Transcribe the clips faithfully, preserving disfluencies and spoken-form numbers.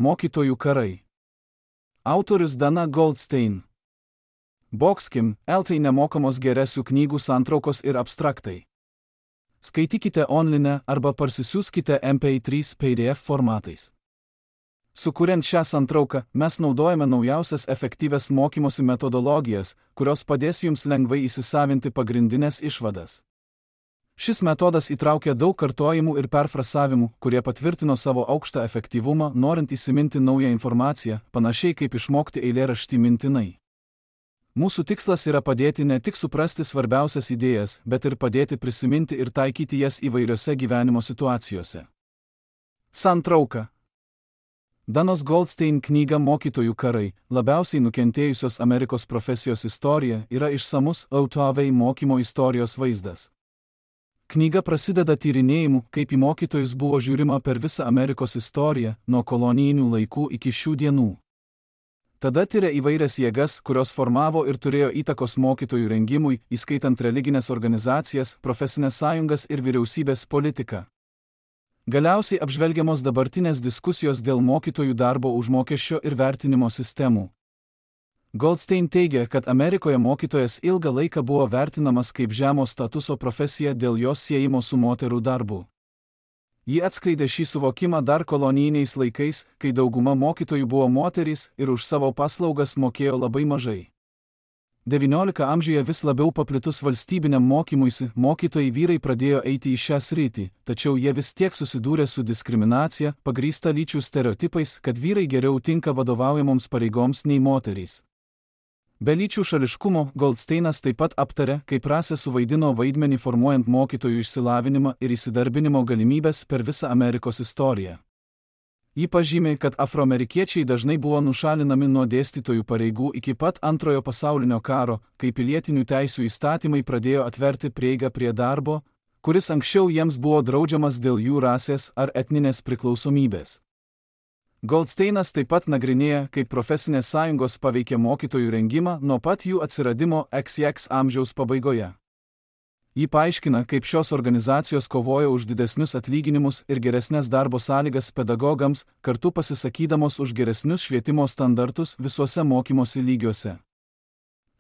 Mokytojų karai. Autorius Dana Goldstein. Boxkim, eltai nemokamos geresių knygų santraukos ir abstraktai. Skaitykite online arba parsisiųskite M P trys P D F formatais. Sukuriant šią santrauką, mes naudojame naujausias efektyvias mokymosi metodologijas, kurios padės jums lengvai įsisavinti pagrindinės išvadas. Šis metodas įtraukia daug kartojimų ir perfrasavimų, kurie patvirtino savo aukštą efektyvumą, norint įsiminti naują informaciją, panašiai kaip išmokti eilėraštį mintinai. Mūsų tikslas yra padėti ne tik suprasti svarbiausias idėjas, bet ir padėti prisiminti ir taikyti jas įvairiose gyvenimo situacijose. Santrauka. Danos Goldstein knyga Mokytojų karai, labiausiai nukentėjusios Amerikos profesijos istorija, yra išsamus autovei mokymo istorijos vaizdas. Knyga prasideda tyrinėjimu, kaip į mokytojus buvo žiūrima per visą Amerikos istoriją, nuo kolonijinių laikų iki šių dienų. Tada tyria įvairias jėgas, kurios formavo ir turėjo įtakos mokytojų rengimui, įskaitant religinės organizacijas, profesinės sąjungas ir vyriausybės politiką. Galiausiai apžvelgiamos dabartinės diskusijos dėl mokytojų darbo užmokesčio ir vertinimo sistemų. Goldstein teigia, kad Amerikoje mokytojas ilgą laiką buvo vertinamas kaip žemo statuso profesija dėl jos siejimo su moterų darbu. Ji atskleidė šį suvokimą dar kolonijiniais laikais, kai dauguma mokytojų buvo moterys ir už savo paslaugas mokėjo labai mažai. devynioliktajame amžiuje vis labiau paplitus valstybiniam mokymuisi, mokytojai vyrai pradėjo eiti į šią sritį, tačiau jie vis tiek susidūrė su diskriminacija, pagrįsta lyčių stereotipais, kad vyrai geriau tinka vadovaujamoms pareigoms nei moterys. Be lyčių šališkumo, Goldsteinas taip pat aptarė, kaip rasė suvaidino vaidmenį formuojant mokytojų išsilavinimą ir įsidarbinimo galimybės per visą Amerikos istoriją. Ji pažymė, kad afroamerikiečiai dažnai buvo nušalinami nuo dėstytojų pareigų iki pat Antrojo pasaulinio karo, kai pilietinių teisių įstatymai pradėjo atverti prieigą prie darbo, kuris anksčiau jiems buvo draudžiamas dėl jų rasės ar etninės priklausomybės. Goldsteinas taip pat nagrinėja, kaip profesinės sąjungos paveikė mokytojų rengimą nuo pat jų atsiradimo X X amžiaus pabaigoje. Ji paaiškina, kaip šios organizacijos kovojo už didesnius atlyginimus ir geresnės darbo sąlygas pedagogams, kartu pasisakydamos už geresnius švietimo standartus visuose mokymosi lygiuose.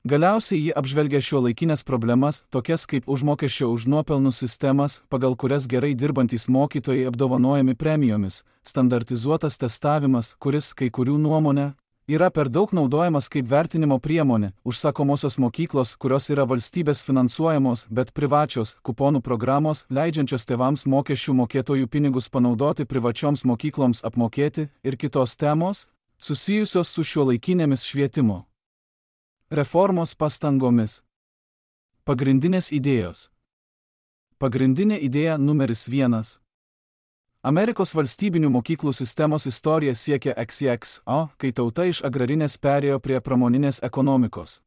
Galiausiai ji apžvelgia šiuolaikinės problemas, tokias kaip užmokesčio už nuopelnus sistemas, pagal kurias gerai dirbantys mokytojai apdovanojami premijomis, standartizuotas testavimas, kuris, kai kurių nuomonė, yra per daug naudojamas kaip vertinimo priemonė, užsakomosios mokyklos, kurios yra valstybės finansuojamos, bet privačios, kuponų programos, leidžiančios tėvams mokesčių mokėtojų pinigus panaudoti privačioms mokykloms apmokėti, ir kitos temos, susijusios su šiuolaikinėmis švietimo reformos pastangomis. Pagrindinės idėjos. Pagrindinė idėja numeris vienas. Amerikos valstybinių mokyklų sistemos istorija siekia X X O, kai tauta iš agrarinės perėjo prie pramoninės ekonomikos.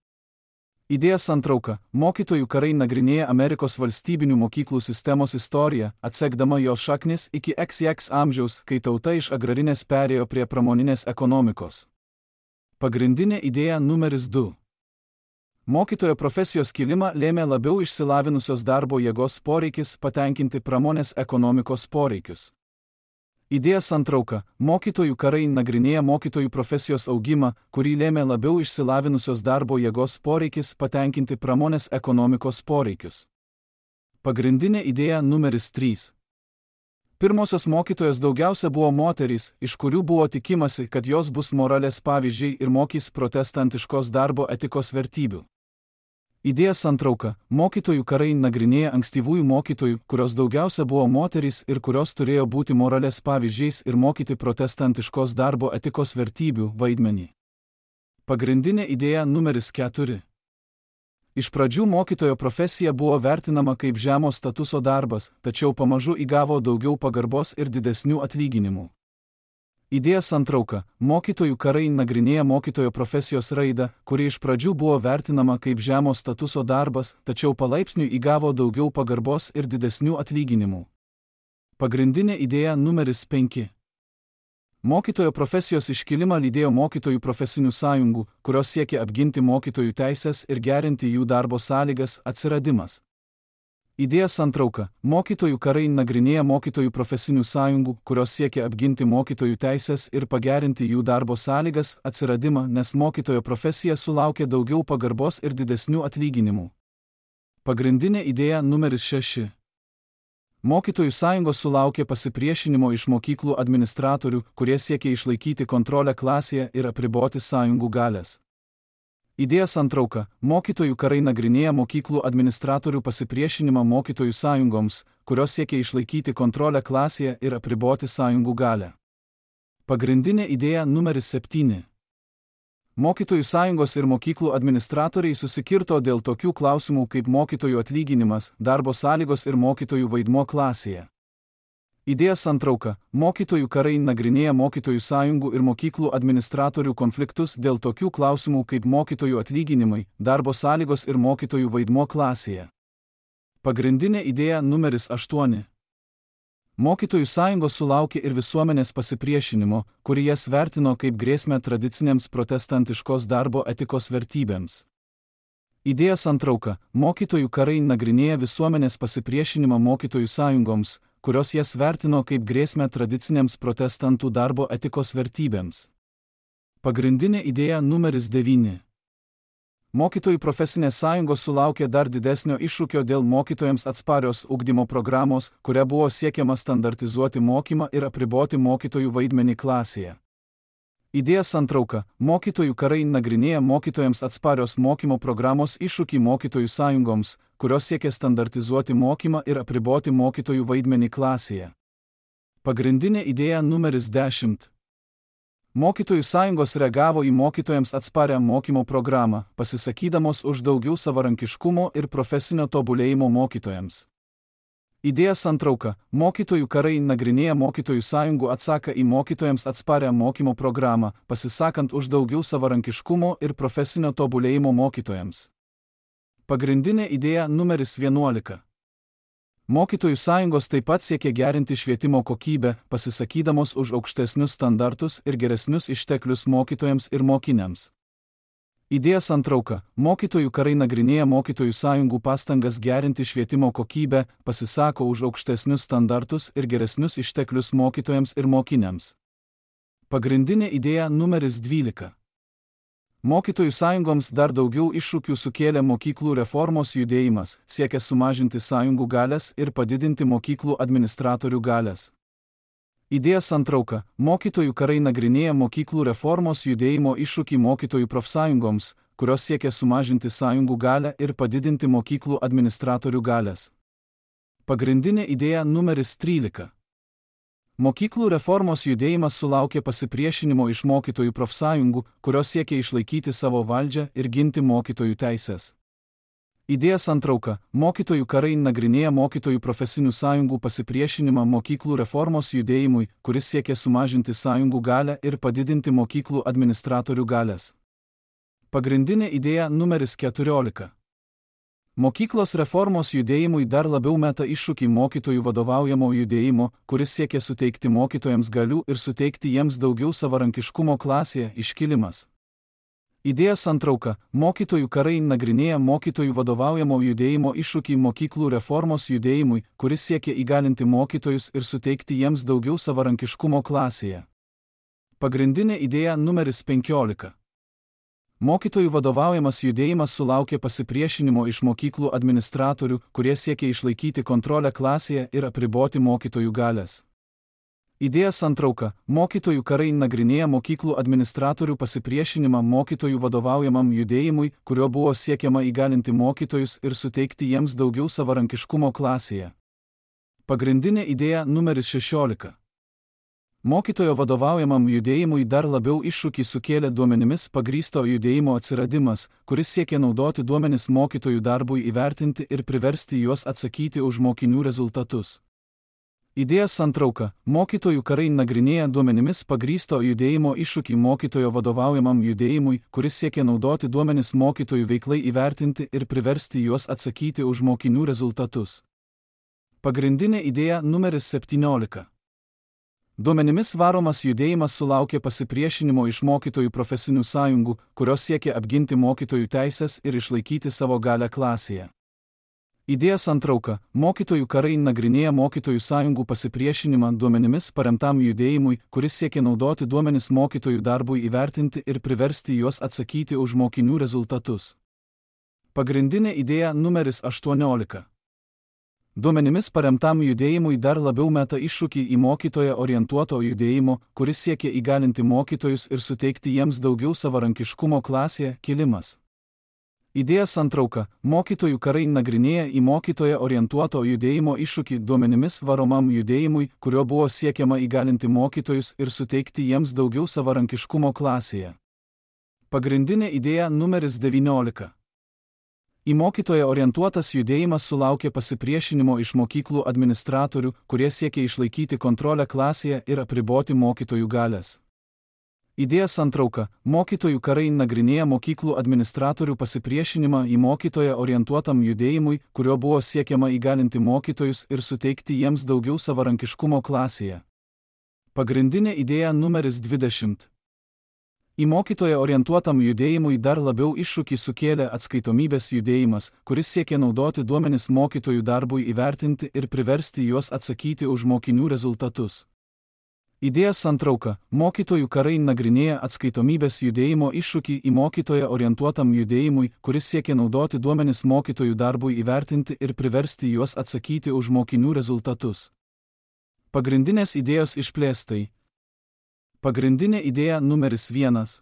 Idėja santrauka. Mokytojų karai nagrinėja Amerikos valstybinių mokyklų sistemos istoriją, atsekdama jos šaknis iki X X amžiaus, kai tauta iš agrarinės perėjo prie pramoninės ekonomikos. Pagrindinė idėja numeris du. Mokytojo profesijos kilimą lėmė labiau išsilavinusios darbo jėgos poreikis patenkinti pramonės ekonomikos poreikius. Idėja santrauka. Mokytojų karai nagrinėja mokytojų profesijos augimą, kurį lėmė labiau išsilavinusios darbo jėgos poreikis patenkinti pramonės ekonomikos poreikius. Pagrindinė idėja numeris trys. Pirmosios mokytojos daugiausia buvo moterys, iš kurių buvo tikimasi, kad jos bus moralės pavyzdžiai ir mokys protestantiškos darbo etikos vertybių. Idėja santrauka. Mokytojų karai nagrinėja ankstyvųjų mokytojų, kurios daugiausia buvo moterys ir kurios turėjo būti moralės pavyzdžiais ir mokyti protestantiškos darbo etikos vertybių vaidmenį. Pagrindinė idėja numeris keturi. Iš pradžių mokytojo profesija buvo vertinama kaip žemo statuso darbas, tačiau pamažu įgavo daugiau pagarbos ir didesnių atlyginimų. Idėja santrauka. Mokytojų karai nagrinėja mokytojo profesijos raidą, kuri iš pradžių buvo vertinama kaip žemo statuso darbas, tačiau palaipsniui įgavo daugiau pagarbos ir didesnių atlyginimų. Pagrindinė idėja numeris penki. Mokytojo profesijos iškilimą lydėjo mokytojų profesinių sąjungų, kurios siekė apginti mokytojų teises ir gerinti jų darbo sąlygas, atsiradimas. Idėja santrauka. Mokytojų karai nagrinėja mokytojų profesinių sąjungų, kurios siekia apginti mokytojų teisės ir pagerinti jų darbo sąlygas, atsiradimą, nes mokytojo profesija sulaukia daugiau pagarbos ir didesnių atlyginimų. Pagrindinė idėja numeris šeši. Mokytojų sąjungos sulaukė pasipriešinimo iš mokyklų administratorių, kurie siekia išlaikyti kontrolę klasėje ir apriboti sąjungų galias. Idėja santrauka. Mokytojų karai nagrinėja mokyklų administratorių pasipriešinimą mokytojų sąjungoms, kurios siekia išlaikyti kontrolę klasėje ir apriboti sąjungų galią. Pagrindinė idėja numeris septyni. Mokytojų sąjungos ir mokyklų administratoriai susikirto dėl tokių klausimų kaip mokytojų atlyginimas, darbo sąlygos ir mokytojų vaidmuo klasėje. Idėja santrauka. Mokytojų karai nagrinėja mokytojų sąjungų ir mokyklų administratorių konfliktus dėl tokių klausimų kaip mokytojų atlyginimai, darbo sąlygos ir mokytojų vaidmuo klasėje. Pagrindinė idėja numeris aštuoni. Mokytojų sąjungos sulaukė ir visuomenės pasipriešinimo, kurį jas vertino kaip grėsmę tradicinėms protestantiškos darbo etikos vertybėms. Idėja santrauka. Mokytojų karai nagrinėja visuomenės pasipriešinimą mokytojų sąjungoms, kurios jas vertino kaip grėsmę tradicinėms protestantų darbo etikos vertybėms. Pagrindinė idėja numeris devyni. Mokytojų profesinės sąjungos sulaukė dar didesnio iššūkio dėl mokytojams atsparios ugdymo programos, kuria buvo siekiama standartizuoti mokymą ir apriboti mokytojų vaidmenį klasėje. Idėja santrauka. Mokytojų karai nagrinėja mokytojams atsparios mokymo programos iššūkį mokytojų sąjungoms, kurios siekia standartizuoti mokymą ir apriboti mokytojų vaidmenį klasėje. Pagrindinė idėja numeris dešimt. Mokytojų sąjungos reagavo į mokytojams atsparią mokymo programą, pasisakydamos už daugiau savarankiškumo ir profesinio tobulėjimo mokytojams. Idėja santrauka. Mokytojų karai nagrinėja mokytojų sąjungų atsaką į mokytojams atsparią mokymo programą, pasisakant už daugiau savarankiškumo ir profesinio tobulėjimo mokytojams. Pagrindinė idėja numeris vienuolika. Mokytojų sąjungos taip pat siekia gerinti švietimo kokybę, pasisakydamos už aukštesnius standartus ir geresnius išteklius mokytojams ir mokiniams. Idėja santrauka. Mokytojų karai nagrinėja mokytojų sąjungų pastangas gerinti švietimo kokybę, pasisako už aukštesnius standartus ir geresnius išteklius mokytojams ir mokiniams. Pagrindinė idėja numeris dvylika. Mokytojų sąjungoms dar daugiau iššūkių sukėlė mokyklų reformos judėjimas, siekia sumažinti sąjungų galias ir padidinti mokyklų administratorių galias. Idėja santrauka. Mokytojų karai nagrinėja mokyklų reformos judėjimo iššūkį mokytojų profsąjungoms, kurios siekia sumažinti sąjungų galią ir padidinti mokyklų administratorių galias. Pagrindinė idėja numeris trylika. Mokyklų reformos judėjimas sulaukė pasipriešinimo iš mokytojų profsąjungų, kurios siekia išlaikyti savo valdžią ir ginti mokytojų teisės. Idėja santrauka. Mokytojų karai nagrinėja mokytojų profesinių sąjungų pasipriešinimą mokyklų reformos judėjimui, kuris siekia sumažinti sąjungų galią ir padidinti mokyklų administratorių galias. Pagrindinė idėja numeris keturiolika. Mokyklos reformos judėjimui dar labiau meta iššūkį mokytojų vadovaujamo judėjimo, kuris siekia suteikti mokytojams galių ir suteikti jiems daugiau savarankiškumo klasėje iškilimas. Idėja santrauka. Mokytojų karai nagrinėja mokytojų vadovaujamo judėjimo iššūkį mokyklų reformos judėjimui, kuris siekia įgalinti mokytojus ir suteikti jiems daugiau savarankiškumo klasėje. Pagrindinė idėja numeris penkiolika. Mokytojų vadovaujamas judėjimas sulaukė pasipriešinimo iš mokyklų administratorių, kurie siekia išlaikyti kontrolę klasėje ir apriboti mokytojų galias. Idėja santrauka. Mokytojų karai nagrinėja mokyklų administratorių pasipriešinimą mokytojų vadovaujamam judėjimui, kurio buvo siekiama įgalinti mokytojus ir suteikti jiems daugiau savarankiškumo klasėje. Pagrindinė idėja numeris šešiolika. Mokytojo vadovaujamam judėjimui dar labiau iššūkį sukėlė duomenimis pagrįsto judėjimo atsiradimas, kuris siekia naudoti duomenis mokytojų darbui įvertinti ir priversti juos atsakyti už mokinių rezultatus. Idėja santrauka. Mokytojų karai nagrinėja duomenimis pagrįsto judėjimo iššūkį mokytojo vadovaujamam judėjimui, kuris siekia naudoti duomenis mokytojų veiklai įvertinti ir priversti juos atsakyti už mokinių rezultatus. Pagrindinė idėja numeris septyniolika. Duomenimis varomas judėjimas sulaukė pasipriešinimo iš mokytojų profesinių sąjungų, kurios siekia apginti mokytojų teises ir išlaikyti savo galią klasėje. Idėja santrauka. Mokytojų karai nagrinėja mokytojų sąjungų pasipriešinimą duomenimis paremtam judėjimui, kuris siekia naudoti duomenis mokytojų darbui įvertinti ir priversti juos atsakyti už mokinių rezultatus. Pagrindinė idėja numeris aštuoniolika. Duomenimis paremtam judėjimui dar labiau meta iššūkį į mokytoją orientuoto judėjimo, kuris siekia įgalinti mokytojus ir suteikti jiems daugiau savarankiškumo klasėje, kilimas. Idėja santrauka. Mokytojų karai nagrinėja į mokytoją orientuoto judėjimo iššūkį duomenimis varomam judėjimui, kurio buvo siekiama įgalinti mokytojus ir suteikti jiems daugiau savarankiškumo klasėje. Pagrindinė idėja numeris devyniolika. Į mokytoją orientuotas judėjimas sulaukė pasipriešinimo iš mokyklų administratorių, kurie siekia išlaikyti kontrolę klasėje ir apriboti mokytojų galias. Idėja santrauka. Mokytojų karai nagrinėja mokyklų administratorių pasipriešinimą į mokytoją orientuotam judėjimui, kurio buvo siekiama įgalinti mokytojus ir suteikti jiems daugiau savarankiškumo klasėje. Pagrindinė idėja numeris dvidešimt. Į mokytoją orientuotam judėjimui dar labiau iššūkį sukėlė atskaitomybės judėjimas, kuris siekia naudoti duomenis mokytojų darbui įvertinti ir priversti juos atsakyti už mokinių rezultatus. Idėja santrauka. Mokytojų karai nagrinėja atskaitomybės judėjimo iššūkį į mokytoją orientuotam judėjimui, kuris siekia naudoti duomenis mokytojų darbui įvertinti ir priversti juos atsakyti už mokinių rezultatus. Pagrindinės idėjos išplėstai. Pagrindinė idėja numeris vienas.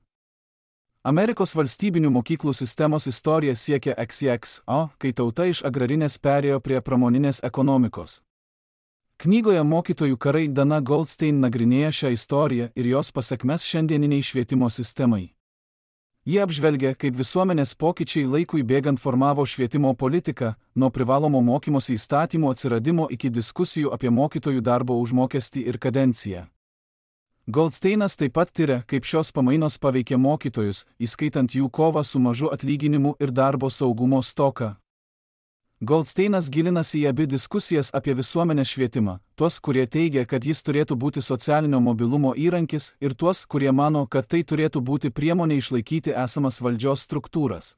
Amerikos valstybinių mokyklų sistemos istorija siekia X X O, kai tauta iš agrarinės perėjo prie pramoninės ekonomikos. Knygoje Mokytojų karai Dana Goldstein nagrinėja šią istoriją ir jos pasekmes šiandieniniai švietimo sistemai. Ji apžvelgia, kaip visuomenės pokyčiai laikui bėgant formavo švietimo politiką, nuo privalomo mokymosi įstatymų atsiradimo iki diskusijų apie mokytojų darbo užmokestį ir kadenciją. Goldsteinas taip pat tiria, kaip šios pamainos paveikė mokytojus, įskaitant jų kovą su mažu atlyginimu ir darbo saugumo stoką. Goldsteinas gilinasi į abi diskusijas apie visuomenės švietimą, tuos, kurie teigia, kad jis turėtų būti socialinio mobilumo įrankis, ir tuos, kurie mano, kad tai turėtų būti priemonė išlaikyti esamas valdžios struktūras.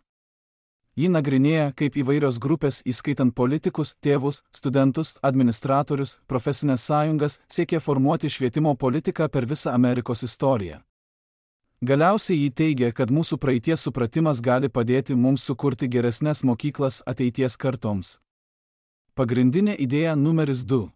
Ji nagrinėja, kaip įvairios grupės, įskaitant politikus, tėvus, studentus, administratorius, profesinės sąjungas, siekia formuoti švietimo politiką per visą Amerikos istoriją. Galiausiai jį teigia, kad mūsų praeities supratimas gali padėti mums sukurti geresnes mokyklas ateities kartoms. Pagrindinė idėja numeris du.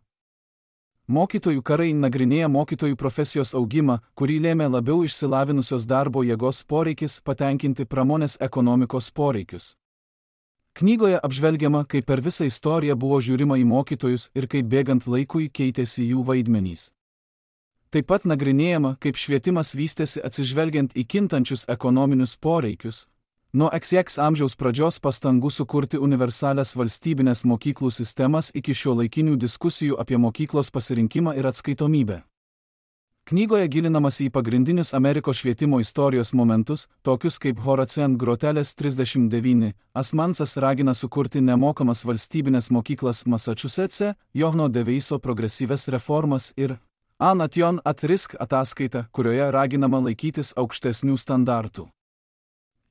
Mokytojų karai nagrinėja mokytojų profesijos augimą, kurį lėmė labiau išsilavinusios darbo jėgos poreikis patenkinti pramonės ekonomikos poreikius. Knygoje apžvelgiama, kaip per visą istoriją buvo žiūrima į mokytojus ir kaip bėgant laikui keitėsi jų vaidmenys. Taip pat nagrinėjama, kaip švietimas vystėsi atsižvelgiant į kintančius ekonominius poreikius. Nuo X X amžiaus pradžios pastangų sukurti universalias valstybinės mokyklų sistemas iki šiuolaikinių diskusijų apie mokyklos pasirinkimą ir atskaitomybę. Knygoje gilinamasi į pagrindinius Amerikos švietimo istorijos momentus, tokius kaip Horacent Grotelės trisdešimt devyni, Asmansas ragina sukurti nemokamas valstybinės mokyklas Massachusetts'e, Johno Deveiso progresyves reformas ir Anation at Risk ataskaita, kurioje raginama laikytis aukštesnių standartų.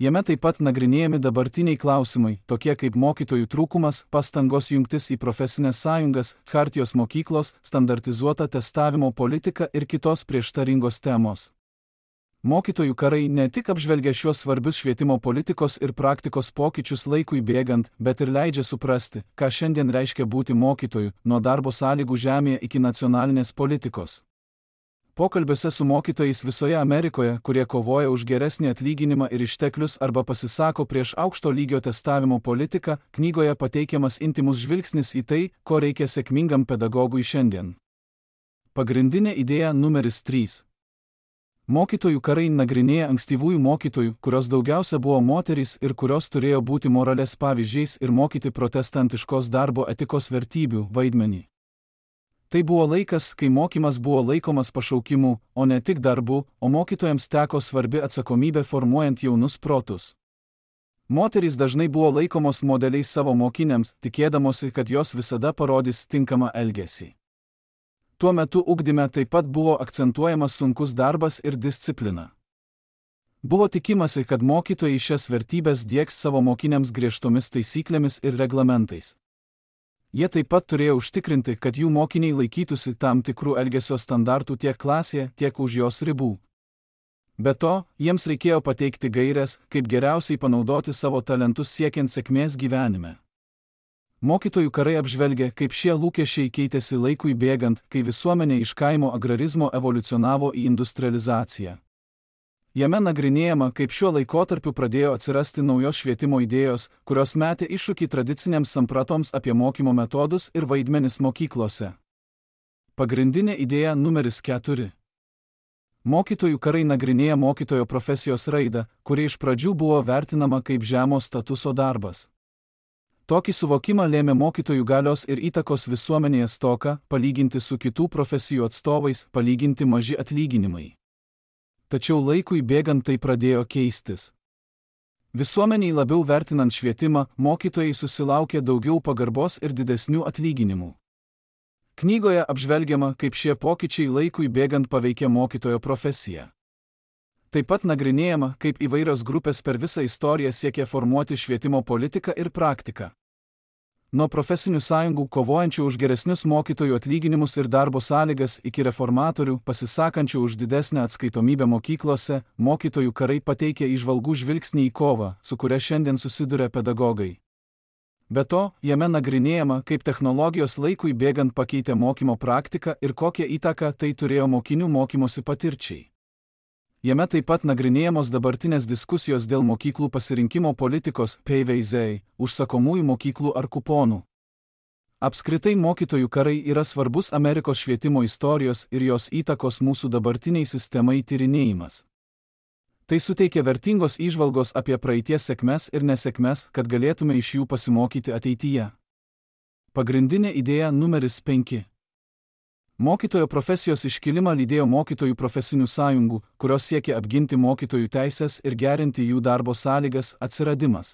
Jame taip pat nagrinėjami dabartiniai klausimai, tokie kaip mokytojų trūkumas, pastangos jungtis į profesinės sąjungas, chartijos mokyklos, standartizuota testavimo politika ir kitos prieštaringos temos. Mokytojų karai ne tik apžvelgia šiuos svarbius švietimo politikos ir praktikos pokyčius laikui bėgant, bet ir leidžia suprasti, ką šiandien reiškia būti mokytoju, nuo darbo sąlygų žemėje iki nacionalinės politikos. Pokalbiuose su mokytojais visoje Amerikoje, kurie kovoja už geresnį atlyginimą ir išteklius arba pasisako prieš aukšto lygio testavimo politiką, knygoje pateikiamas intymus žvilgsnis į tai, ko reikia sėkmingam pedagogui šiandien. Pagrindinė idėja numeris trys. Mokytojų karai nagrinėja ankstyvųjų mokytojų, kurios daugiausia buvo moterys ir kurios turėjo būti moralės pavyzdžiais ir mokyti protestantiškos darbo etikos vertybių vaidmenį. Tai buvo laikas, kai mokymas buvo laikomas pašaukimu, o ne tik darbu, o mokytojams teko svarbi atsakomybė formuojant jaunus protus. Moterys dažnai buvo laikomos modeliais savo mokiniams, tikėdamosi, kad jos visada parodys tinkamą elgesį. Tuo metu ugdyme taip pat buvo akcentuojamas sunkus darbas ir disciplina. Buvo tikimasi, kad mokytojai šias vertybės diegs savo mokiniams griežtomis taisyklėmis ir reglamentais. Jie taip pat turėjo užtikrinti, kad jų mokiniai laikytųsi tam tikrų elgesio standartų tiek klasėje, tiek už jos ribų. Be to, jiems reikėjo pateikti gaires, kaip geriausiai panaudoti savo talentus siekiant sėkmės gyvenime. Mokytojų karai apžvelgia, kaip šie lūkesčiai keitėsi laikui bėgant, kai visuomenė iš kaimo agrarizmo evoliucionavo į industrializaciją. Jame nagrinėjama, kaip šiuo laikotarpiu pradėjo atsirasti naujos švietimo idėjos, kurios metė iššūkį tradicinėms sampratoms apie mokymo metodus ir vaidmenis mokyklose. Pagrindinė idėja numeris keturi. Mokytojų karai nagrinėja mokytojo profesijos raidą, kuri iš pradžių buvo vertinama kaip žemo statuso darbas. Tokį suvokimą lėmė mokytojų galios ir įtakos visuomenėje stoka, palyginti su kitų profesijų atstovais, palyginti maži atlyginimai. Tačiau laikui bėgant tai pradėjo keistis. Visuomeniai labiau vertinant švietimą, mokytojai susilaukė daugiau pagarbos ir didesnių atlyginimų. Knygoje apžvelgiama, kaip šie pokyčiai laikui bėgant paveikė mokytojo profesiją. Taip pat nagrinėjama, kaip įvairios grupės per visą istoriją siekė formuoti švietimo politiką ir praktiką. Nuo profesinių sąjungų kovojančių už geresnius mokytojų atlyginimus ir darbo sąlygas iki reformatorių pasisakančių už didesnę atskaitomybę mokyklose, mokytojų karai pateikė įžvalgų žvilgsnį į kovą, su kuria šiandien susiduria pedagogai. Be to, jame nagrinėjama, kaip technologijos laikui bėgant pakeitė mokymo praktiką ir kokią įtaką tai turėjo mokinių mokymosi patirčiai. Jame taip pat nagrinėjamos dabartinės diskusijos dėl mokyklų pasirinkimo politikos, P V Z, užsakomųjų mokyklų ar kuponų. Apskritai mokytojų karai yra svarbus Amerikos švietimo istorijos ir jos įtakos mūsų dabartiniai sistemai tyrinėjimas. Tai suteikia vertingos įžvalgos apie praeities sėkmes ir nesėkmes, kad galėtume iš jų pasimokyti ateityje. Pagrindinė idėja numeris penki. Mokytojo profesijos iškilimą lydėjo mokytojų profesinių sąjungų, kurios siekia apginti mokytojų teisės ir gerinti jų darbo sąlygas, atsiradimas.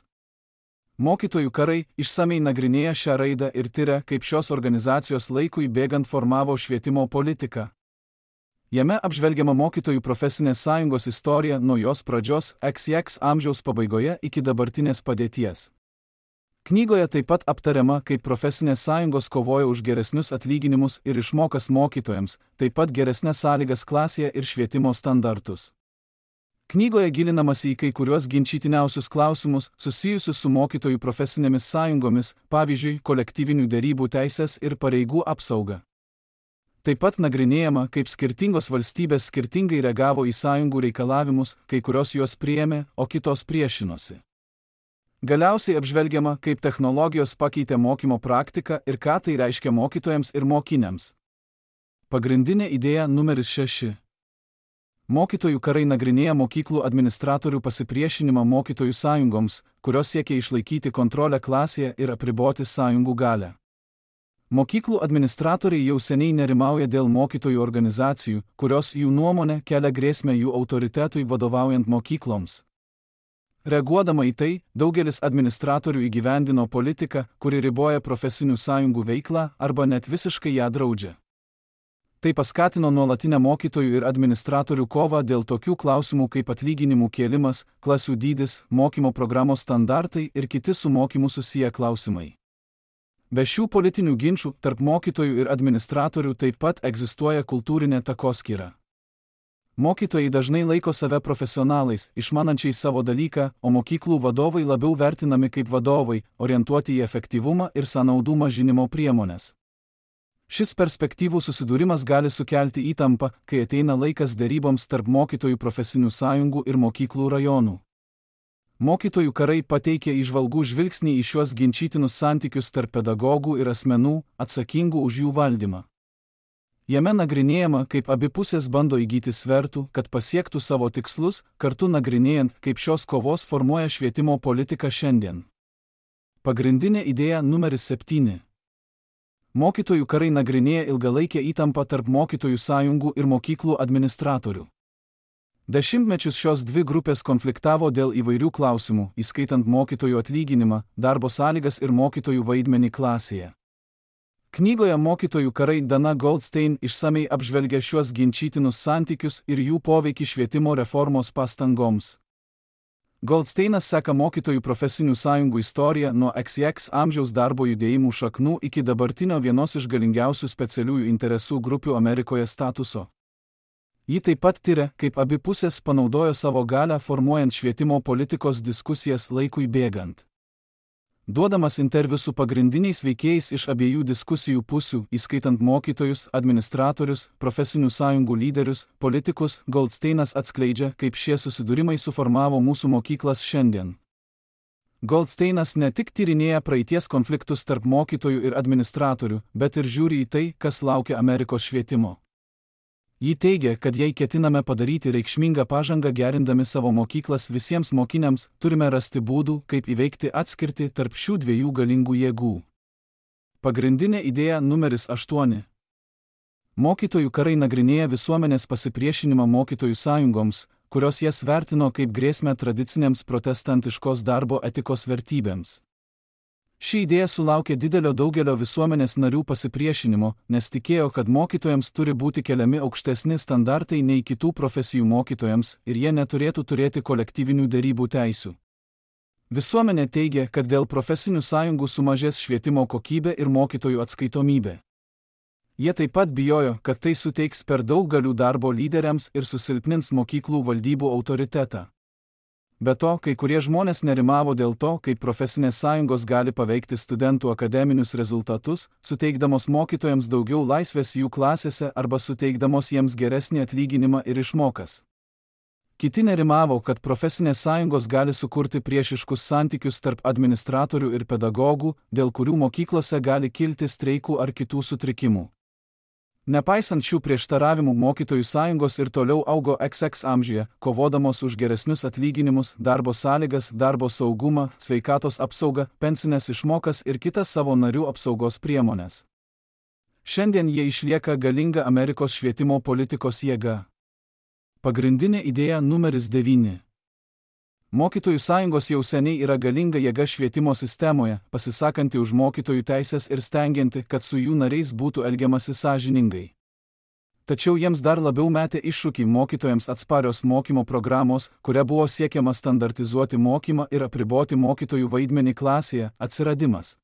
Mokytojų karai išsamei nagrinėja šią raidą ir tiria, kaip šios organizacijos laikui bėgant formavo švietimo politiką. Jame apžvelgiama mokytojų profesinės sąjungos istorija nuo jos pradžios X X amžiaus pabaigoje iki dabartinės padėties. Knygoje taip pat aptariama, kaip profesinės sąjungos kovoja už geresnius atlyginimus ir išmokas mokytojams, taip pat geresnės sąlygas klasėje ir švietimo standartus. Knygoje gilinamasi į kai kuriuos ginčytiniausius klausimus susijusius su mokytojų profesinėmis sąjungomis, pavyzdžiui, kolektyvinių derybų teisės ir pareigų apsauga. Taip pat nagrinėjama, kaip skirtingos valstybės skirtingai reagavo į sąjungų reikalavimus, kai kurios juos priėmė, o kitos priešinosi. Galiausiai apžvelgiama, kaip technologijos pakeitė mokymo praktiką ir ką tai reiškia mokytojams ir mokiniams. Pagrindinė idėja numeris šeši. Mokytojų karai nagrinėja mokyklų administratorių pasipriešinimą mokytojų sąjungoms, kurios siekia išlaikyti kontrolę klasėje ir apriboti sąjungų galią. Mokyklų administratoriai jau seniai nerimauja dėl mokytojų organizacijų, kurios jų nuomonė kelia grėsmę jų autoritetui vadovaujant mokykloms. Reaguodama į tai, daugelis administratorių įgyvendino politiką, kuri riboja profesinių sąjungų veiklą arba net visiškai ją draudžia. Tai paskatino nuolatinę mokytojų ir administratorių kovą dėl tokių klausimų kaip atlyginimų kėlimas, klasių dydis, mokymo programos standartai ir kiti su mokymu susiję klausimai. Be šių politinių ginčų tarp mokytojų ir administratorių taip pat egzistuoja kultūrinė takoskyra. Mokytojai dažnai laiko save profesionalais, išmanančiais savo dalyką, o mokyklų vadovai labiau vertinami kaip vadovai, orientuoti į efektyvumą ir sąnaudų mažinimo priemonės. Šis perspektyvų susidūrimas gali sukelti įtampą, kai ateina laikas deryboms tarp mokytojų profesinių sąjungų ir mokyklų rajonų. Mokytojų karai pateikia įžvalgų žvilgsnį į šiuos ginčytinus santykius tarp pedagogų ir asmenų, atsakingų už jų valdymą. Jame nagrinėjama, kaip abi pusės bando įgyti svertų, kad pasiektų savo tikslus, kartu nagrinėjant, kaip šios kovos formuoja švietimo politiką šiandien. Pagrindinė idėja numeris septyni. Mokytojų karai nagrinėja ilgalaikę įtampą tarp mokytojų sąjungų ir mokyklų administratorių. Dešimtmečius šios dvi grupės konfliktavo dėl įvairių klausimų, įskaitant mokytojų atlyginimą, darbo sąlygas ir mokytojų vaidmenį klasėje. Knygoje Mokytojų karai Dana Goldstein išsamei apžvelgia šiuos ginčytinus santykius ir jų poveikį švietimo reformos pastangoms. Goldsteinas seka mokytojų profesinių sąjungų istoriją nuo X X amžiaus darbo judėjimų šaknų iki dabartinio vienos iš galingiausių specialiųjų interesų grupių Amerikoje statuso. Ji taip pat tiria, kaip abi pusės panaudojo savo galią formuojant švietimo politikos diskusijas laikui bėgant. Duodamas interviu su pagrindiniais veikėjais iš abiejų diskusijų pusių, įskaitant mokytojus, administratorius, profesinių sąjungų lyderius, politikus, Goldsteinas atskleidžia, kaip šie susidūrimai suformavo mūsų mokyklas šiandien. Goldsteinas ne tik tyrinėja praeities konfliktus tarp mokytojų ir administratorių, bet ir žiūri į tai, kas laukia Amerikos švietimo. Ji teigia, kad jei ketiname padaryti reikšmingą pažangą gerindami savo mokyklas visiems mokiniams, turime rasti būdų, kaip įveikti atskirtį tarp šių dviejų galingų jėgų. Pagrindinė idėja numeris aštuoni. Mokytojų karai nagrinėja visuomenės pasipriešinimą mokytojų sąjungoms, kurios jas vertino kaip grėsmę tradicinėms protestantiškos darbo etikos vertybėms. Ši idėja sulaukė didelio daugelio visuomenės narių pasipriešinimo, nes tikėjo, kad mokytojams turi būti keliami aukštesni standartai nei kitų profesijų mokytojams ir jie neturėtų turėti kolektyvinių derybų teisių. Visuomenė teigia, kad dėl profesinių sąjungų sumažės švietimo kokybė ir mokytojų atskaitomybė. Jie taip pat bijojo, kad tai suteiks per daug galių darbo lyderiams ir susilpnins mokyklų valdybų autoritetą. Be to, kai kurie žmonės nerimavo dėl to, kaip profesinės sąjungos gali paveikti studentų akademinius rezultatus, suteikdamos mokytojams daugiau laisvės jų klasėse arba suteikdamos jiems geresnį atlyginimą ir išmokas. Kiti nerimavo, kad profesinės sąjungos gali sukurti priešiškus santykius tarp administratorių ir pedagogų, dėl kurių mokyklose gali kilti streikų ar kitų sutrikimų. Nepaisant šių prieštaravimų, mokytojų sąjungos ir toliau augo X X amžiuje, kovodamos už geresnius atlyginimus, darbo sąlygas, darbo saugumą, sveikatos apsaugą, pensinės išmokas ir kitas savo narių apsaugos priemonės. Šiandien jie išlieka galinga Amerikos švietimo politikos jėga. Pagrindinė idėja numeris devyni. Mokytojų sąjungos jau seniai yra galinga jėga švietimo sistemoje, pasisakanti už mokytojų teisės ir stengianti, kad su jų nariais būtų elgiamasi sąžiningai. Tačiau jiems dar labiau metė iššūkį mokytojams atsparios mokymo programos, kuria buvo siekiama standartizuoti mokymą ir apriboti mokytojų vaidmenį klasėje, atsiradimas.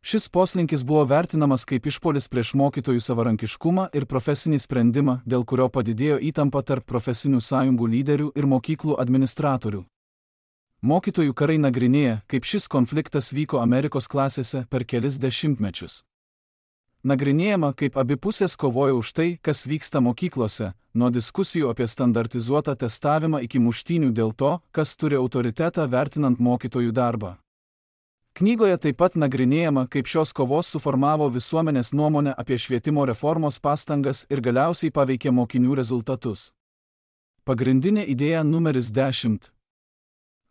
Šis poslinkis buvo vertinamas kaip išpuolis prieš mokytojų savarankiškumą ir profesinį sprendimą, dėl kurio padidėjo įtampa tarp profesinių sąjungų lyderių ir mokyklų administratorių. Mokytojų karai nagrinėja, kaip šis konfliktas vyko Amerikos klasėse per kelis dešimtmečius. Nagrinėjama, kaip abi pusės kovojo už tai, kas vyksta mokyklose, nuo diskusijų apie standartizuotą testavimą iki muštynių dėl to, kas turi autoritetą vertinant mokytojų darbą. Knygoje taip pat nagrinėjama, kaip šios kovos suformavo visuomenės nuomonę apie švietimo reformos pastangas ir galiausiai paveikė mokinių rezultatus. Pagrindinė idėja numeris dešimt.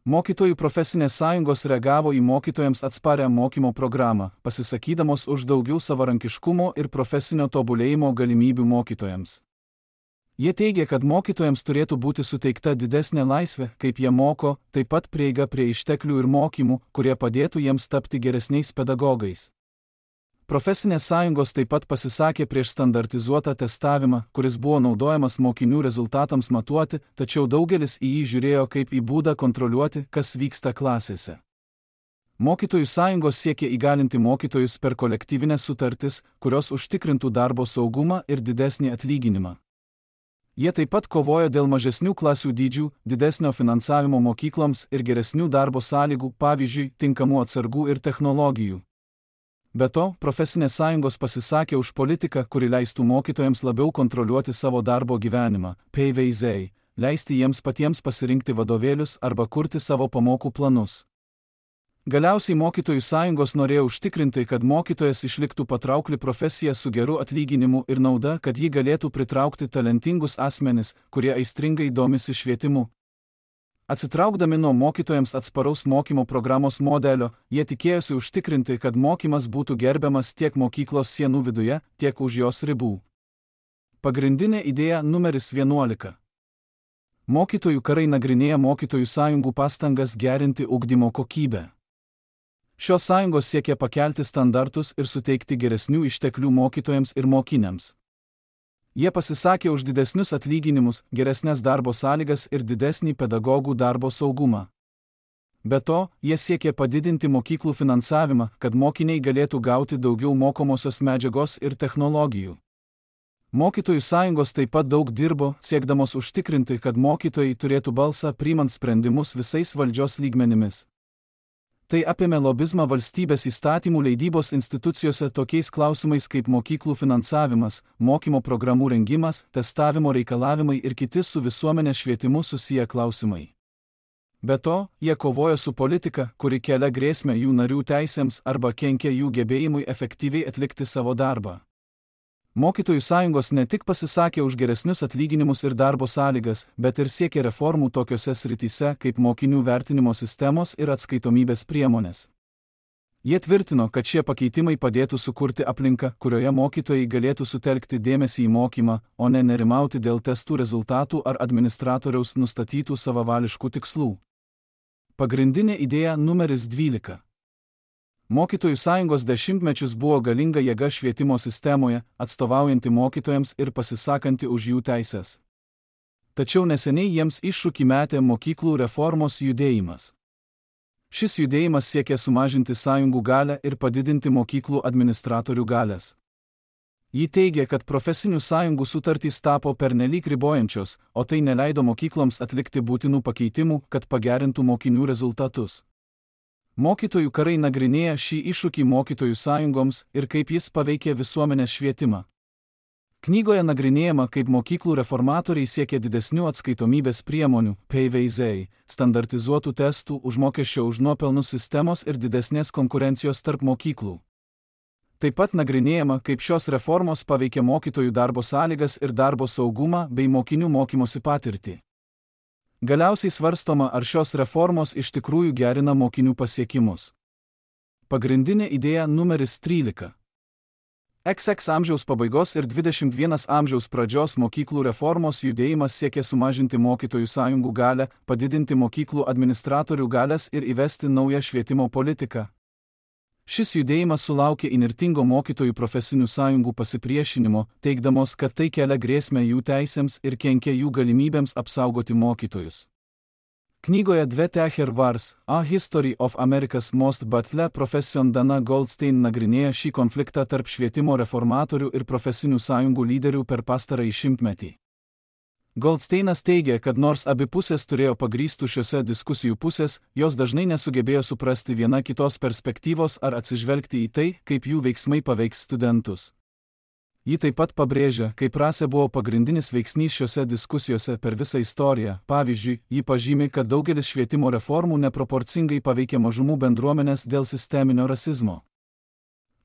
Mokytojų profesinės sąjungos reagavo į mokytojams atsparią mokymo programą, pasisakydamos už daugiau savarankiškumo ir profesinio tobulėjimo galimybių mokytojams. Jie teigia, kad mokytojams turėtų būti suteikta didesnė laisvė, kaip jie moko, taip pat prieiga prie išteklių ir mokymų, kurie padėtų jiems tapti geresniais pedagogais. Profesinės sąjungos taip pat pasisakė prieš standartizuotą testavimą, kuris buvo naudojamas mokinių rezultatams matuoti, tačiau daugelis į jį žiūrėjo kaip į būdą kontroliuoti, kas vyksta klasėse. Mokytojų sąjungos siekė įgalinti mokytojus per kolektyvinės sutartis, kurios užtikrintų darbo saugumą ir didesnį atlyginimą. Jie taip pat kovojo dėl mažesnių klasių dydžių, didesnio finansavimo mokykloms ir geresnių darbo sąlygų, pavyzdžiui, tinkamų atsargų ir technologijų. Be to, profesinės sąjungos pasisakė už politiką, kuri leistų mokytojams labiau kontroliuoti savo darbo gyvenimą, P V Z, leisti jiems patiems pasirinkti vadovėlius arba kurti savo pamokų planus. Galiausiai mokytojų sąjungos norėjo užtikrinti, kad mokytojas išliktų patraukli profesija su geru atlyginimu ir nauda, kad ji galėtų pritraukti talentingus asmenis, kurie aistringai domisi švietimu. Atsitraukdami nuo mokytojams atsparaus mokymo programos modelio, jie tikėjosi užtikrinti, kad mokymas būtų gerbiamas tiek mokyklos sienų viduje, tiek už jos ribų. Pagrindinė idėja numeris vienuolika. Mokytojų karai nagrinėja mokytojų sąjungų pastangas gerinti ugdymo kokybę. Šios sąjungos siekia pakelti standartus ir suteikti geresnių išteklių mokytojams ir mokiniams. Jie pasisakė už didesnius atlyginimus, geresnės darbo sąlygas ir didesnį pedagogų darbo saugumą. Be to, jie siekė padidinti mokyklų finansavimą, kad mokiniai galėtų gauti daugiau mokomosios medžiagos ir technologijų. Mokytojų sąjungos taip pat daug dirbo, siekdamos užtikrinti, kad mokytojai turėtų balsą priimant sprendimus visais valdžios lygmenimis. Tai apėmė lobizmą valstybės įstatymų leidybos institucijose tokiais klausimais kaip mokyklų finansavimas, mokymo programų rengimas, testavimo reikalavimai ir kiti su visuomenės švietimu susiję klausimai. Be to, jie kovojo su politika, kuri kelia grėsmę jų narių teisėms arba kenkia jų gebėjimui efektyviai atlikti savo darbą. Mokytojų sąjungos ne tik pasisakė už geresnius atlyginimus ir darbo sąlygas, bet ir siekė reformų tokiose srityse kaip mokinių vertinimo sistemos ir atskaitomybės priemonės. Jie tvirtino, kad šie pakeitimai padėtų sukurti aplinką, kurioje mokytojai galėtų sutelkti dėmesį į mokymą, o ne nerimauti dėl testų rezultatų ar administratoriaus nustatytų savavališkų tikslų. Pagrindinė idėja numeris dvylika. Mokytojų sąjungos dešimtmečius buvo galinga jėga švietimo sistemoje, atstovaujanti mokytojams ir pasisakanti už jų teises. Tačiau neseniai jiems iššūkį metė mokyklų reformos judėjimas. Šis judėjimas siekė sumažinti sąjungų galią ir padidinti mokyklų administratorių galias. Ji teigė, kad profesinių sąjungų sutartys tapo pernelyg ribojančios, o tai neleido mokykloms atlikti būtinų pakeitimų, kad pagerintų mokinių rezultatus. Mokytojų karai nagrinėja šį iššūkį mokytojų sąjungoms ir kaip jis paveikė visuomenės švietimą. Knygoje nagrinėjama, kaip mokyklų reformatoriai siekė didesnių atskaitomybės priemonių, P V Z, standartizuotų testų, užmokesčio už nuopelnus sistemos ir didesnės konkurencijos tarp mokyklų. Taip pat nagrinėjama, kaip šios reformos paveikė mokytojų darbo sąlygas ir darbo saugumą bei mokinių mokymosi patirtį. Galiausiai svarstoma, ar šios reformos iš tikrųjų gerina mokinių pasiekimus. Pagrindinė idėja numeris trylika. X X amžiaus pabaigos ir dvidešimt pirmo amžiaus pradžios mokyklų reformos judėjimas siekė sumažinti mokytojų sąjungų galią, padidinti mokyklų administratorių galias ir įvesti naują švietimo politiką. Šis judėjimas sulaukė įnirtingo mokytojų profesinių sąjungų pasipriešinimo, teigdamos, kad tai kelia grėsmę jų teisėms ir kenkia jų galimybėms apsaugoti mokytojus. Knygoje Dve Techer Wars, A History of America's Most Battle Profession Dana Goldstein nagrinėja šį konfliktą tarp švietimo reformatorių ir profesinių sąjungų lyderių per pastarąjį šimtmetį. Goldsteinas teigia, kad nors abi pusės turėjo pagrįstų šiose diskusijų pusės, jos dažnai nesugebėjo suprasti viena kitos perspektyvos ar atsižvelgti į tai, kaip jų veiksmai paveiks studentus. Ji taip pat pabrėžia, kaip rasė buvo pagrindinis veiksnys šiose diskusijose per visą istoriją. Pavyzdžiui, ji pažymi, kad daugelis švietimo reformų neproporcingai paveikė mažumų bendruomenės dėl sisteminio rasizmo.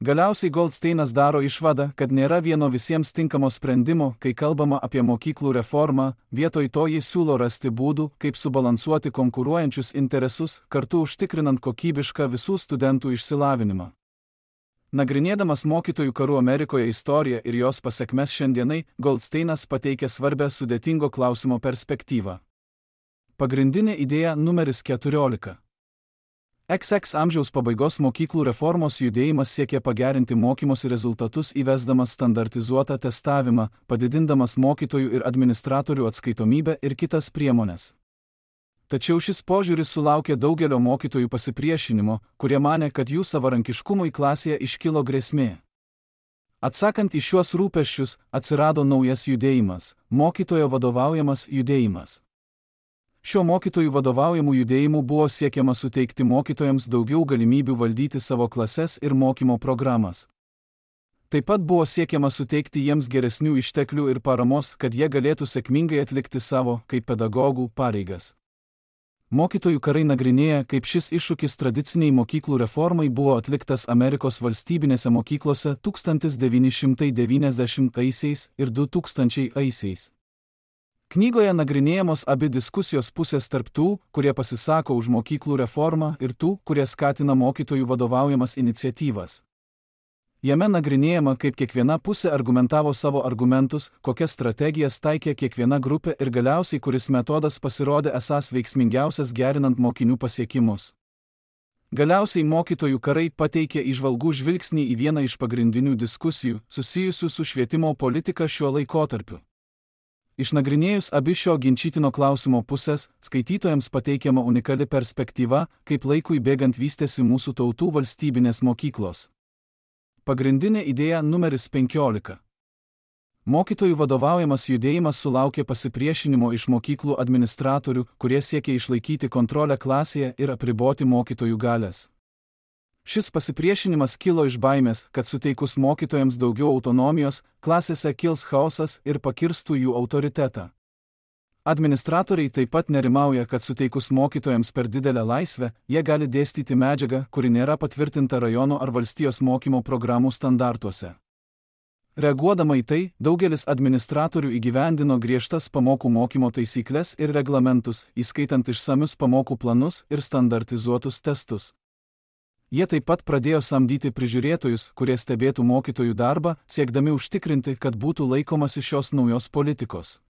Galiausiai Goldsteinas daro išvadą, kad nėra vieno visiems tinkamo sprendimo, kai kalbama apie mokyklų reformą, vietoj to jis siūlo rasti būdų, kaip subalansuoti konkuruojančius interesus, kartu užtikrinant kokybišką visų studentų išsilavinimą. Nagrinėdamas mokytojų karų Amerikoje istoriją ir jos pasekmes šiandienai, Goldsteinas pateikia svarbę sudėtingo klausimo perspektyvą. Pagrindinė idėja numeris keturiolika. X X amžiaus pabaigos mokyklų reformos judėjimas siekė pagerinti mokymosi rezultatus įvesdamas standartizuotą testavimą, padidindamas mokytojų ir administratorių atskaitomybę ir kitas priemonės. Tačiau šis požiūris sulaukė daugelio mokytojų pasipriešinimo, kurie manė, kad jų savarankiškumui klasėje iškilo grėsmė. Atsakant į šiuos rūpesčius, atsirado naujas judėjimas – mokytojo vadovaujamas judėjimas. Šiuo mokytojų vadovaujamų judėjimų buvo siekiama suteikti mokytojams daugiau galimybių valdyti savo klases ir mokymo programas. Taip pat buvo siekiama suteikti jiems geresnių išteklių ir paramos, kad jie galėtų sėkmingai atlikti savo, kaip pedagogų, pareigas. Mokytojų karai nagrinėja, kaip šis iššūkis tradiciniai mokyklų reformai buvo atliktas Amerikos valstybinėse mokyklose tūkstantis devyni šimtai devyniasdešimtaisiais ir du tūkstančiaisiais. Knygoje nagrinėjamos abi diskusijos pusės tarp tų, kurie pasisako už mokyklų reformą, ir tų, kurie skatina mokytojų vadovaujamas iniciatyvas. Jame nagrinėjama, kaip kiekviena pusė argumentavo savo argumentus, kokias strategijas taikė kiekviena grupė ir galiausiai kuris metodas pasirodė esąs veiksmingiausias gerinant mokinių pasiekimus. Galiausiai mokytojų karai pateikė įžvalgų žvilgsnį į vieną iš pagrindinių diskusijų, susijusių su švietimo politika šiuo laikotarpiu. Išnagrinėjus abi šio ginčytino klausimo pusės, skaitytojams pateikiama unikali perspektyva, kaip laikui bėgant vystėsi mūsų tautų valstybinės mokyklos. Pagrindinė idėja numeris penkiolika. Mokytojų vadovaujamas judėjimas sulaukė pasipriešinimo iš mokyklų administratorių, kurie siekė išlaikyti kontrolę klasėje ir apriboti mokytojų galias. Šis pasipriešinimas kilo iš baimės, kad suteikus mokytojams daugiau autonomijos, klasėse kils chaosas ir pakirstų jų autoritetą. Administratoriai taip pat nerimauja, kad suteikus mokytojams per didelę laisvę, jie gali dėstyti medžiagą, kuri nėra patvirtinta rajono ar valstijos mokymo programų standartuose. Reaguodama į tai, daugelis administratorių įgyvendino griežtas pamokų mokymo taisyklės ir reglamentus, įskaitant išsamius pamokų planus ir standartizuotus testus. Jie taip pat pradėjo samdyti prižiūrėtojus, kurie stebėtų mokytojų darbą, siekdami užtikrinti, kad būtų laikomasi šios naujos politikos.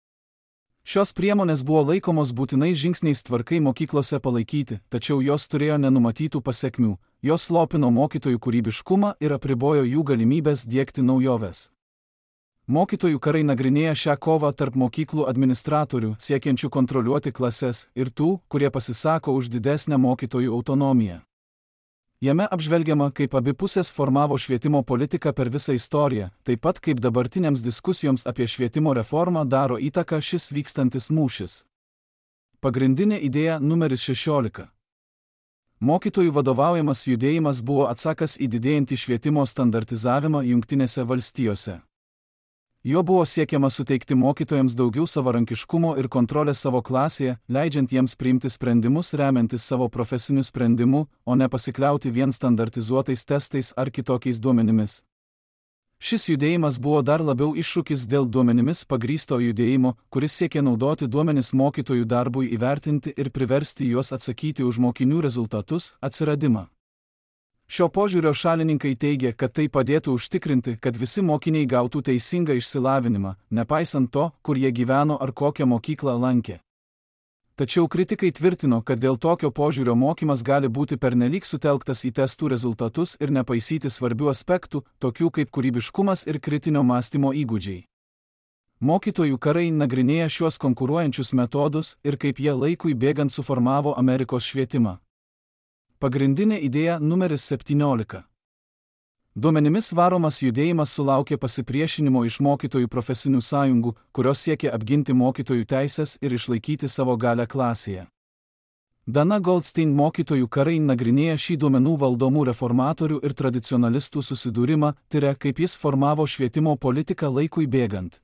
Šios priemonės buvo laikomos būtinais žingsniais tvarkai mokyklose palaikyti, tačiau jos turėjo nenumatytų pasekmių, jos slopino mokytojų kūrybiškumą ir apribojo jų galimybės diegti naujoves. Mokytojų karai nagrinėja šią kovą tarp mokyklų administratorių, siekiančių kontroliuoti klases, ir tų, kurie pasisako už didesnę mokytojų autonomiją. Jame apžvelgiama, kaip abi pusės formavo švietimo politiką per visą istoriją, taip pat kaip dabartinėms diskusijoms apie švietimo reformą daro įtaką šis vykstantis mūšis. Pagrindinė idėja numeris šešiolika. Mokytojų vadovaujamas judėjimas buvo atsakas į didėjantį švietimo standartizavimą Jungtinėse valstijose. Jo buvo siekiama suteikti mokytojams daugiau savarankiškumo ir kontrolės savo klasėje, leidžiant jiems priimti sprendimus remiantis savo profesiniu sprendimu, o ne pasikliauti vien standartizuotais testais ar kitokiais duomenimis. Šis judėjimas buvo dar labiau iššūkis dėl duomenimis pagrįsto judėjimo, kuris siekė naudoti duomenis mokytojų darbui įvertinti ir priversti juos atsakyti už mokinių rezultatus, atsiradimą. Šio požiūrio šalininkai teigia, kad tai padėtų užtikrinti, kad visi mokiniai gautų teisingą išsilavinimą, nepaisant to, kur jie gyveno ar kokią mokyklą lankė. Tačiau kritikai tvirtino, kad dėl tokio požiūrio mokymas gali būti pernelyg sutelktas į testų rezultatus ir nepaisyti svarbių aspektų, tokių kaip kūrybiškumas ir kritinio mąstymo įgūdžiai. Mokytojų karai nagrinėja šiuos konkuruojančius metodus ir kaip jie laikui bėgant suformavo Amerikos švietimą. Pagrindinė idėja numeris septyniolika. Duomenimis varomas judėjimas sulaukė pasipriešinimo iš mokytojų profesinių sąjungų, kurios siekė apginti mokytojų teisės ir išlaikyti savo galią klasėje. Dana Goldstein mokytojų karai nagrinėja šį duomenų valdomų reformatorių ir tradicionalistų susidūrimą, tiria, kaip jis formavo švietimo politiką laikui bėgant.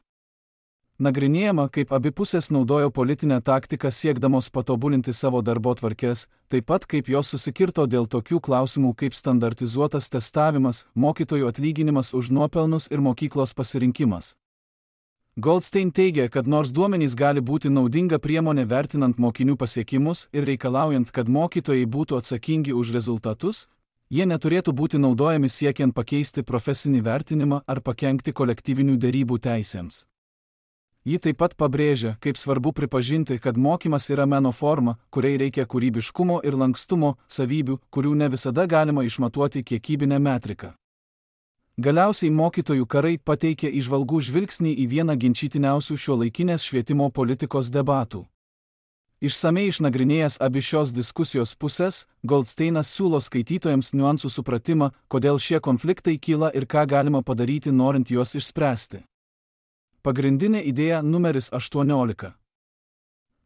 Nagrinėjama, kaip abi pusės naudojo politinę taktiką siekdamos patobulinti savo darbotvarkes, taip pat kaip jos susikirto dėl tokių klausimų kaip standartizuotas testavimas, mokytojų atlyginimas už nuopelnus ir mokyklos pasirinkimas. Goldstein teigia, kad nors duomenys gali būti naudinga priemonė vertinant mokinių pasiekimus ir reikalaujant, kad mokytojai būtų atsakingi už rezultatus, jie neturėtų būti naudojami siekiant pakeisti profesinį vertinimą ar pakenkti kolektyvinių derybų teisėms. Ji taip pat pabrėžia, kaip svarbu pripažinti, kad mokymas yra meno forma, kuriai reikia kūrybiškumo ir lankstumo, savybių, kurių ne visada galima išmatuoti kiekybinę metriką. Galiausiai mokytojų karai pateikė įžvalgų žvilgsnį į vieną ginčytiniausių šiuolaikinės švietimo politikos debatų. Išsamei išnagrinėjęs abi šios diskusijos pusės, Goldsteinas siūlo skaitytojams niuansų supratimą, kodėl šie konfliktai kyla ir ką galima padaryti norint juos išspręsti. Pagrindinė idėja numeris aštuoniolika.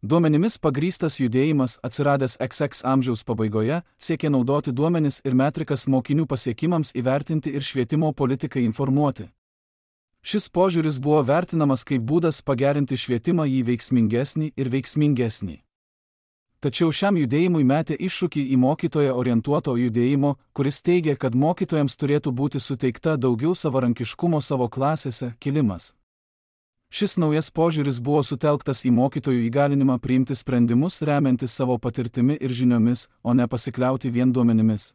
Duomenimis pagrįstas judėjimas, atsiradęs iks iks amžiaus pabaigoje, siekia naudoti duomenis ir metrikas mokinių pasiekimams įvertinti ir švietimo politikai informuoti. Šis požiūris buvo vertinamas kaip būdas pagerinti švietimą jį veiksmingesnį ir veiksmingesnį. Tačiau šiam judėjimui metė iššūkį į mokytoją orientuoto judėjimo, kuris teigia, kad mokytojams turėtų būti suteikta daugiau savarankiškumo savo klasėse, kilimas. Šis naujas požiūris buvo sutelktas į mokytojų įgalinimą priimti sprendimus remiantis savo patirtimi ir žiniomis, o ne pasikliauti vien duomenimis.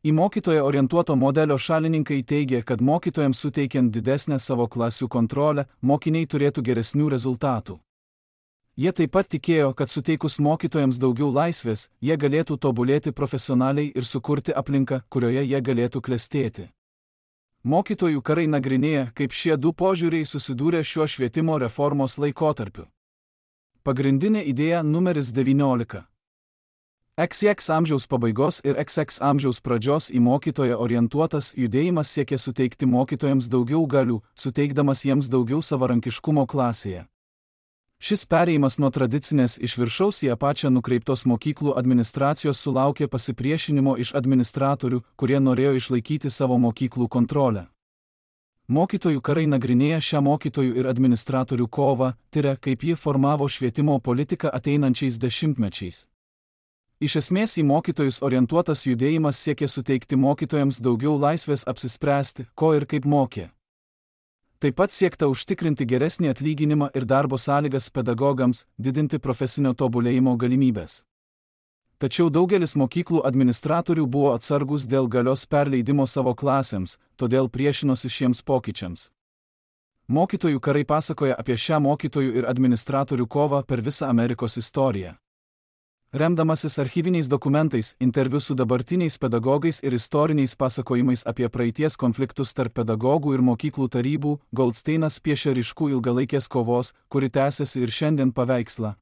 Į mokytoją orientuoto modelio šalininkai teigia, kad mokytojams suteikiant didesnę savo klasių kontrolę, mokiniai turėtų geresnių rezultatų. Jie taip pat tikėjo, kad suteikus mokytojams daugiau laisvės, jie galėtų tobulėti profesionaliai ir sukurti aplinką, kurioje jie galėtų klestėti. Mokytojų karai nagrinėja, kaip šie du požiūriai susidūrė šiuo švietimo reformos laikotarpiu. Pagrindinė idėja numeris devyniolika. iks iks amžiaus pabaigos ir iks iks amžiaus pradžios į mokytoją orientuotas judėjimas siekė suteikti mokytojams daugiau galių, suteikdamas jiems daugiau savarankiškumo klasėje. Šis perėjimas nuo tradicinės iš viršaus į apačią nukreiptos mokyklų administracijos sulaukė pasipriešinimo iš administratorių, kurie norėjo išlaikyti savo mokyklų kontrolę. Mokytojų karai nagrinėja šią mokytojų ir administratorių kovą, tiria, kaip ji formavo švietimo politiką ateinančiais dešimtmečiais. Iš esmės į mokytojus orientuotas judėjimas siekė suteikti mokytojams daugiau laisvės apsispręsti, ko ir kaip mokė. Taip pat siekta užtikrinti geresnį atlyginimą ir darbo sąlygas pedagogams, didinti profesinio tobulėjimo galimybės. Tačiau daugelis mokyklų administratorių buvo atsargus dėl galios perleidimo savo klasėms, todėl priešinosi šiems pokyčiams. Mokytojų karai pasakoja apie šią mokytojų ir administratorių kovą per visą Amerikos istoriją. Remdamasis archyviniais dokumentais, interviu su dabartiniais pedagogais ir istoriniais pasakojimais apie praeities konfliktus tarp pedagogų ir mokyklų tarybų, Goldsteinas piešia ryškų ilgalaikės kovos, kuri tęsiasi ir šiandien paveikslą.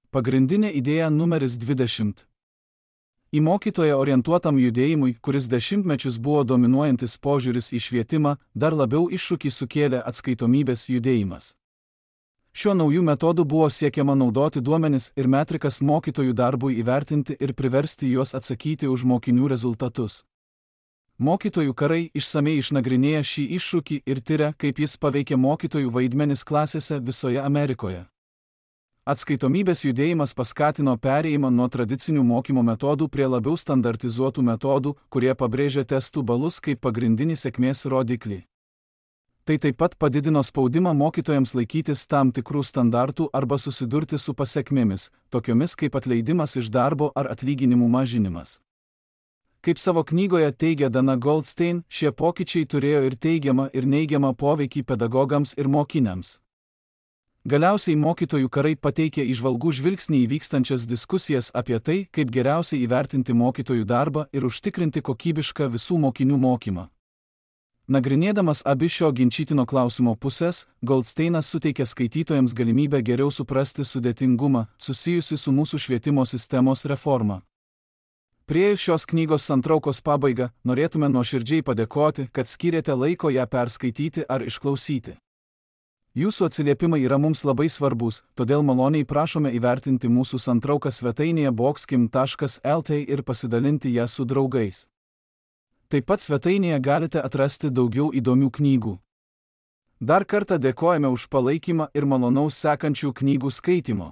Pagrindinė idėja numeris dvidešimt. Į mokytoją orientuotam judėjimui, kuris dešimtmečius buvo dominuojantis požiūris į švietimą, dar labiau iššūkį sukėlė atskaitomybės judėjimas. Šiuo naujų metodų buvo siekiama naudoti duomenis ir metrikas mokytojų darbui įvertinti ir priversti juos atsakyti už mokinių rezultatus. Mokytojų karai išsamei išnagrinėja šį iššūkį ir tiria, kaip jis paveikė mokytojų vaidmenis klasėse visoje Amerikoje. Atskaitomybės judėjimas paskatino perėjimą nuo tradicinių mokymo metodų prie labiau standartizuotų metodų, kurie pabrėžia testų balus kaip pagrindinį sėkmės rodiklį. Tai taip pat padidino spaudimą mokytojams laikytis tam tikrų standartų arba susidurti su pasekmėmis, tokiomis kaip atleidimas iš darbo ar atlyginimų mažinimas. Kaip savo knygoje teigia Dana Goldstein, šie pokyčiai turėjo ir teigiamą ir neigiamą poveikį pedagogams ir mokiniams. Galiausiai mokytojų karai pateikė įžvalgų žvilgsnį į vykstančias diskusijas apie tai, kaip geriausiai įvertinti mokytojų darbą ir užtikrinti kokybišką visų mokinių mokymą. Nagrinėdamas abi šio ginčytino klausimo pusės, Goldsteinas suteikia skaitytojams galimybę geriau suprasti sudėtingumą, susijusi su mūsų švietimo sistemos reforma. Priėjus šios knygos santraukos pabaigą, norėtume nuoširdžiai padėkoti, kad skyrėte laiko ją perskaityti ar išklausyti. Jūsų atsiliepimai yra mums labai svarbus, todėl maloniai prašome įvertinti mūsų santrauką svetainėje boxkim taškas lt ir pasidalinti ją su draugais. Taip pat svetainėje galite atrasti daugiau įdomių knygų. Dar kartą dėkojame už palaikymą ir malonaus sekančių knygų skaitymo.